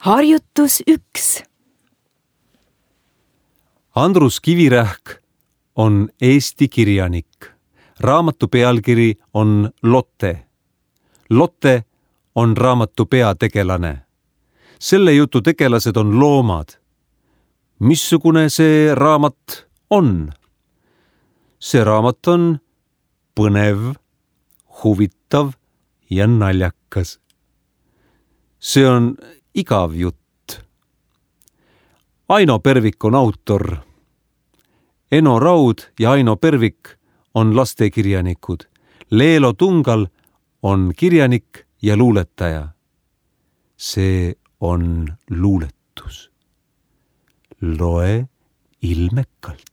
Harjutus 1. Andrus Kivirähk on Eesti kirjanik. Raamatu pealkiri on Lotte. Lotte on raamatu peategelane. Selle jutu tegelased on loomad. Missugune see raamat on? See raamat on põnev, huvitav ja naljakas. See on igav jutt. Aino Pervik on autor. Eno Raud ja Aino Pervik on lastekirjanikud. Leelo Tungal on kirjanik ja luuletaja. See on luuletus. Loe ilmekalt.